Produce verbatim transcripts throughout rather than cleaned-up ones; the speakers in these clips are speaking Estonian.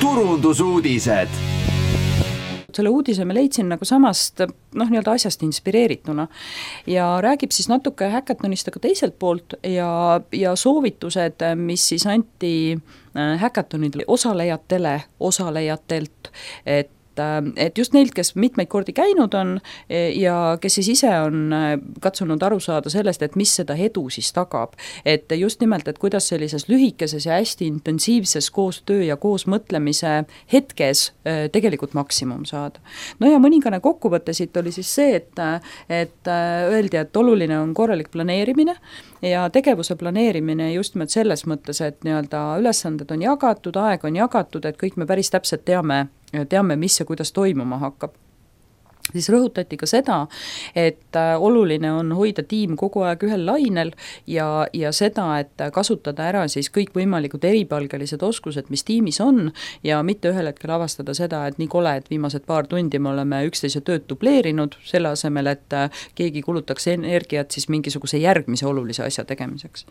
turundusuudised. Selle uudise me leidsin nagu samast noh, nii-öelda asjast inspireerituna ja räägib siis natuke häkatonist aga teiselt poolt ja, ja soovitused, mis siis anti häkatonidele osalejatele, osalejatelt, et et just neilt, kes mitmeid kordi käinud on ja kes siis ise on katsunud aru saada sellest, et mis seda edu siis tagab. Et just nimelt, et kuidas sellises lühikeses ja hästi intensiivses koostöö ja koosmõtlemise hetkes tegelikult maksimum saada. No ja mõningane kokkuvõte siit oli siis see, et, et öeldi, et oluline on korralik planeerimine ja tegevuse planeerimine just nimelt selles mõttes, et nii-öelda ülesanded on jagatud, aeg on jagatud, et kõik me päris täpselt teame, teame, mis ja kuidas toimuma hakkab. Siis rõhutati ka seda, et oluline on hoida tiim kogu aeg ühel lainel ja, ja seda, et kasutada ära siis kõik võimalikud eripalgelised oskused, mis tiimis on ja mitte ühel hetkel avastada seda, et nii kole, et viimased paar tundi me oleme üksteise tööd dubleerinud selle asemel, et keegi kulutaks energiat siis mingisuguse järgmise olulise asja tegemiseks.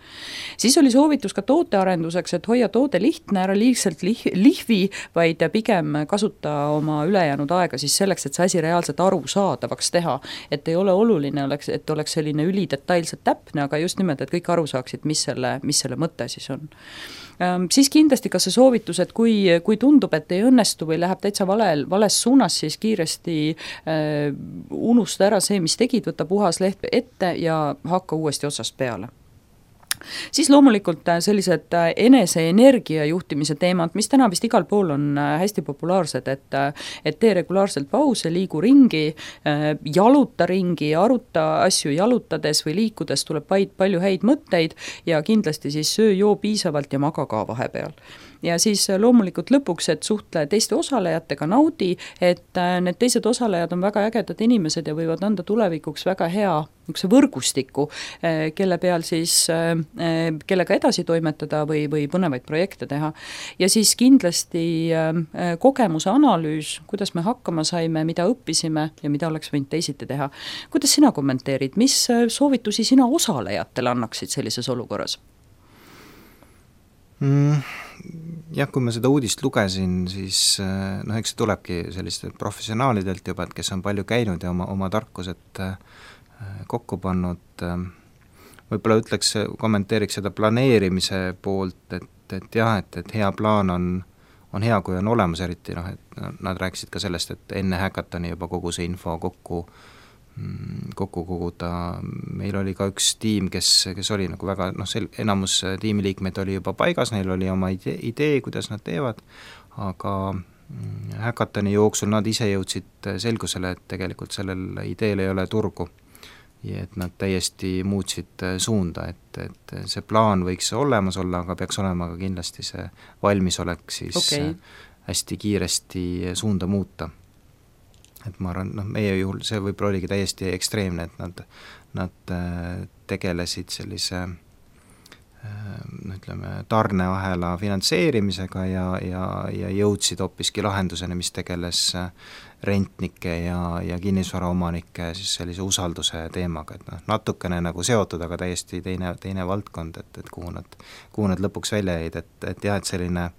Siis oli soovitus ka tootearenduseks, et hoia toode lihtne, ära liigselt lih- lihvi, vaid pigem kasuta oma ülejäänud aega siis selleks, et see asi reaalselt aru saadavaks teha, et ei ole oluline, oleks, et oleks selline ülidetailselt täpne, aga just nimelt, et kõik aru saaksid, mis selle, mis selle mõte siis on. Ähm, siis kindlasti ka see soovitus, et kui, kui tundub, et ei õnnestu või läheb täitsa vale, vales suunas, siis kiiresti äh, unusta ära see, mis tegid, võta puhas leht ette ja hakka uuesti otsast peale. Siis loomulikult sellised enese energia juhtimise teemad, mis täna vist igal pool on hästi populaarsed, et, et tee regulaarselt pause, liigu ringi, jaluta ringi, aruta asju jalutades või liikudes tuleb palju häid mõtteid ja kindlasti siis söö joo piisavalt ja maga ka vahepeal. Ja siis loomulikult lõpuks, et suhtle teiste osalejatega, naudi, et need teised osalejad on väga ägedad inimesed ja võivad anda tulevikuks väga hea niisuguse võrgustiku, kelle peal siis, kellega edasi toimetada või, või põnevaid projekte teha. Ja siis kindlasti kogemuse analüüs, kuidas me hakkama saime, mida õppisime ja mida oleks võinud teisiti teha. Kuidas sina kommenteerid, mis soovitusi sina osalejatele annaksid sellises olukorras? Mm, jah, kui ma seda uudist lugesin, siis noh, eks see tulebki sellistelt professionaalidelt juba, et kes on palju käinud ja oma, oma tarkused kokku pannud. Võib-olla ütleks, kommenteeriks seda planeerimise poolt, et, et jah, et, et hea plaan on, on hea, kui on olemas, eriti noh, et nad rääkisid ka sellest, et enne häkatoni juba kogu see info kokku kokku koguda. Meil oli ka üks tiim, kes, kes oli nagu väga, noh, sel, enamus tiimiliikmeid oli juba paigas, neil oli oma idee, idee, kuidas nad teevad, aga häkatoni jooksul nad ise jõudsid selgusele, et tegelikult sellel ideel ei ole turgu ja et nad täiesti muutsid suunda, et, et see plaan võiks olemas olla, aga peaks olema ka kindlasti see valmisolek siis okay. hästi kiiresti suunda muuta. Et ma arvan, noh, meie juhul see võib-olla oligi täiesti ekstreemne, et nad, nad tegelesid sellise ütleme, tarneahela finantseerimisega ja, ja, ja jõudsid hoopiski lahenduseni, mis tegeles rentnike ja, ja kinnisvaraomanike siis sellise usalduse teemaga, et noh, natukene nagu seotud, aga täiesti teine, teine valdkond, et, et kuhu nad, kuhu nad lõpuks välja jäid, et, et jah, et selline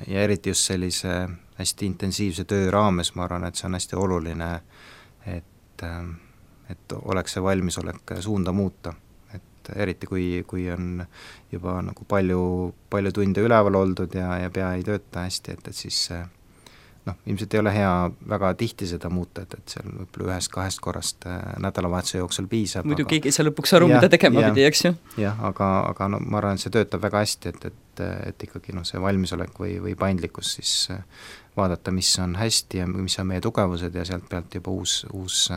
ja eriti just sellise hästi intensiivse töö raames, ma arvan, et see on hästi oluline, et, et oleks see valmisolek suunda muuta. Et eriti kui, kui on juba nagu palju, palju tunde üleval oldud ja, ja pea ei tööta hästi, et, et siis noh, ilmselt ei ole hea väga tihti seda muuta, et, et seal võib-olla ühest kahest korrast nädalavahetuse jooksul piisab. Muidu aga... keegi ei saa lõpuks aru, ja, mida tegema ja, pidi, eks ju? Jah, aga, aga no, ma arvan, et see töötab väga hästi, et, et, et ikkagi no, see valmisolek või, või paindlikkus siis vaadata, mis on hästi ja mis on meie tugevused ja sealt pealt juba uus, uus,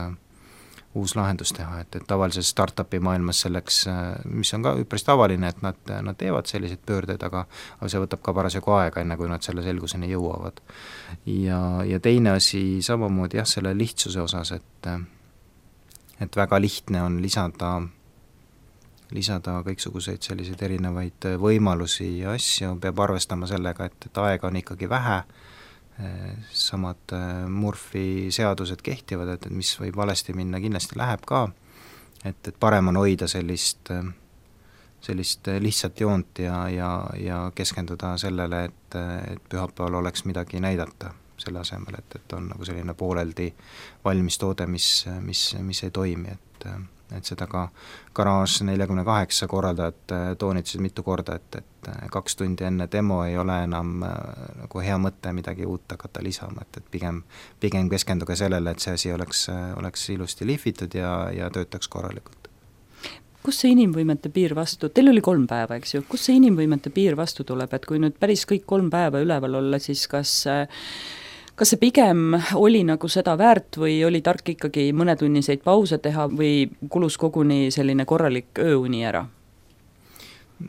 uus lahendus teha, et, et tavalises startupi maailmas selleks, mis on ka üpris tavaline, et nad, nad teevad selliseid pöördeid, aga, aga see võtab ka parasjagu aega, enne kui nad selle selguseni jõuavad. Ja, ja teine asi samamoodi jah, selle lihtsuse osas, et, et väga lihtne on lisada, lisada kõiksuguseid selliseid erinevaid võimalusi ja asju, peab arvestama sellega, et, et aega on ikkagi vähe, samad Murphy seadused kehtivad, et, et mis võib valesti minna, kindlasti läheb ka, et, et parem on hoida sellist, sellist lihtsat joont ja, ja, ja keskenduda sellele, et, et pühapäeval oleks midagi näidata, selle asemel, et, et on nagu selline pooleldi valmis toode, mis, mis, mis ei toimi, et et seda ka Garage neljakümne kaheksa korraldajad toonitasid mitu korda, et, et kaks tundi enne demo ei ole enam nagu hea mõte midagi uut hakata lisama, et, et pigem, pigem keskenduge sellele, et see asi oleks, oleks ilusti lihvitud ja, ja töötaks korralikult. Kus see inimvõimete piir vastu, teil oli kolm päeva, eks ju, kus see inimvõimete piir vastu tuleb, et kui nüüd päris kõik kolm päeva üleval olla, siis kas kas see pigem oli nagu seda väärt või oli tark ikkagi mõnetunniseid pause teha või kulus koguni selline korralik ööuni ära?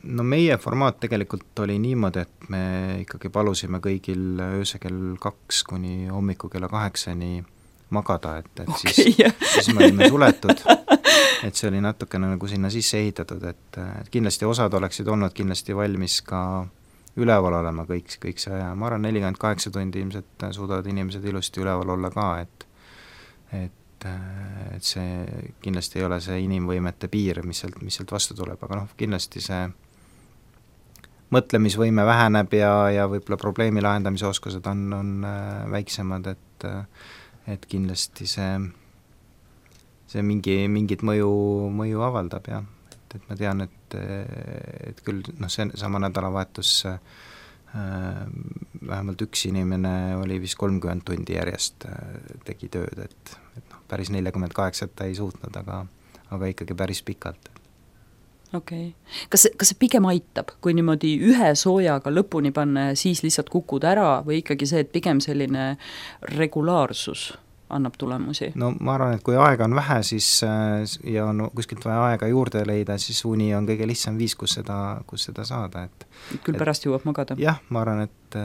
No meie formaat tegelikult oli niimoodi, et me ikkagi palusime kõigil ööse kell kaks kuni hommiku kella kaheksani magada, et, et okay, siis, siis me olime suletud, et see oli natukene nagu sinna sisse ehitatud, et, et kindlasti osad oleksid olnud kindlasti valmis ka üleval olema kõik, kõik see aja, ma arvan, nelikümmend kaheksa tundi ilmselt suudavad inimesed ilusti üleval olla ka, et et, et see kindlasti ei ole see inimvõimete piir, mis sealt, mis sealt vastu tuleb, aga noh, kindlasti see mõtlemisvõime väheneb ja, ja võib-olla probleemi lahendamise oskused on, on väiksemad, et et kindlasti see see mingi, mingit mõju, mõju avaldab, jah. Et ma tean, et, et küll noh, see sama nädalavahetus äh, vähemalt üks inimene oli vist kolmkümmend tundi järjest äh, tegi tööd, et, et noh, päris nelikümmend kaheksa ta ei suutnud, aga, aga ikkagi päris pikalt. Okei okay. Kas, kas see pigem aitab, kui niimoodi ühe soojaga lõpuni panna ja siis lihtsalt kukud ära või ikkagi see, et pigem selline regulaarsus annab tulemusi? No ma arvan, et kui aega on vähe, siis ja on kuskilt vaja aega juurde leida, siis uni on kõige lihtsam viis, kus seda, kus seda saada, et küll pärast jõuab magada? Jah, ma arvan, et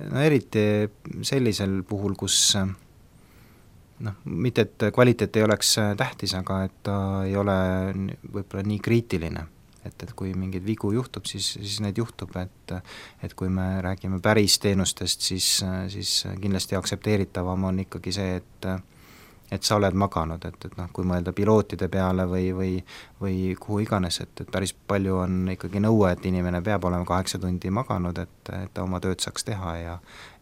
no eriti sellisel puhul, kus noh, mitte et kvaliteet ei oleks tähtis, aga et ta ei ole võib-olla nii kriitiline. Et, et kui mingeid vigu juhtub, siis, siis need juhtub, et, et kui me räägime päris teenustest, siis, siis kindlasti aktsepteeritavam on ikkagi see, et, et sa oled maganud, et, et noh, kui mõelda pilootide peale või, või, või kuhu iganes, et, et päris palju on ikkagi nõue, et inimene peab olema kaheksa tundi maganud, et, et ta oma tööd saaks teha ja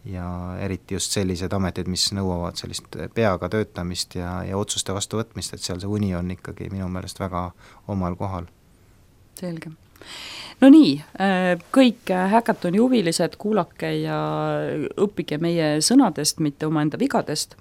ja eriti just sellised ametid, mis nõuavad sellist peaga töötamist ja, ja otsuste vastuvõtmist, et seal see uni on ikkagi minu meelest väga omal kohal. Selge. No nii, kõik Hackathoni huvilised, kuulake ja õppige meie sõnadest, mitte omaenda vigadest.